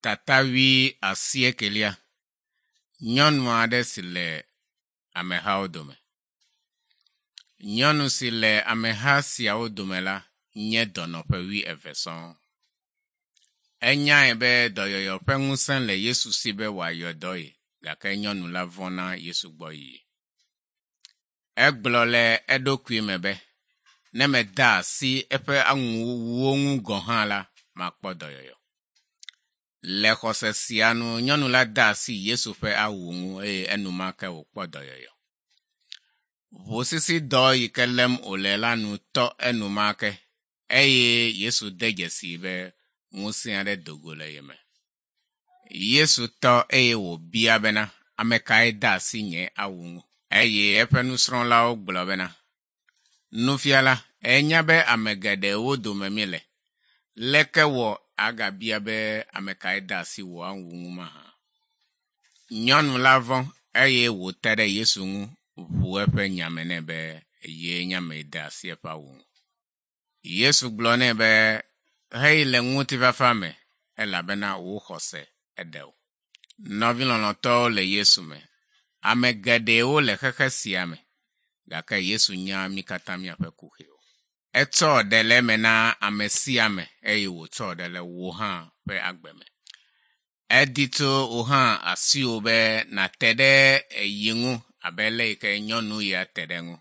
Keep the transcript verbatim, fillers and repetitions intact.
Tata wuiasiekelia. Nyɔnu aɖe si le amehawo dome. Nyɔnu si le ameha siawo dome la nye dɔnɔ ƒe wuieve sɔŋ. Enyae be dɔyɔyɔ ƒe ŋusẽ le Yesu si be wòayɔ dɔ ye gake nyɔnu la vɔ̃ na Yesu gbɔ yiyi. Egblɔ le eɖokui me be, ne mede asi eƒe awuwo ŋu gɔ̃ hã la, makpɔ dɔyɔyɔ. Le xɔse sia nu nyɔnu la de asi Yesu ƒe awu ŋu eye enumake wòkpɔ dɔyɔyɔ. Ʋusisidɔ yi ke lém wòle la nu tɔ enumake eye Yesu de dzesii be ŋusẽ aɖe do go le ye me. Yesu tɔ eye wòbia bena, ame kae de asi nye awu ŋu? Eye eƒe nusrɔ̃lawo gblɔ bena, Nufiala, ènya be ame geɖewo dome míele. Leke wɔ agabia be ame kae de asi wò awu ŋu mahã? Nyɔnu la vɔ̃ eye wòte ɖe Yesu ŋu ʋu eƒe nya me nɛ be yee nye ame yi de asi eƒe awu ŋu. Yesu gblɔ nɛ be heyi le ŋutifafa me elabena wò xɔse eɖe wò. Nɔvi lɔlɔ̃tɔwo le Yesu me. Ame geɖewo le xexe sia me gake Yesu nya mí katã míaƒe kuxiwo. Etsɔ ɖe le eme na ame sia ame eye wòtsɔ ɖe le wò hã ƒe agbe me. Edi tso wò hã asiwò be nàte ɖe yi ŋu abe le yi ke nyɔnu ya te ɖe ŋu.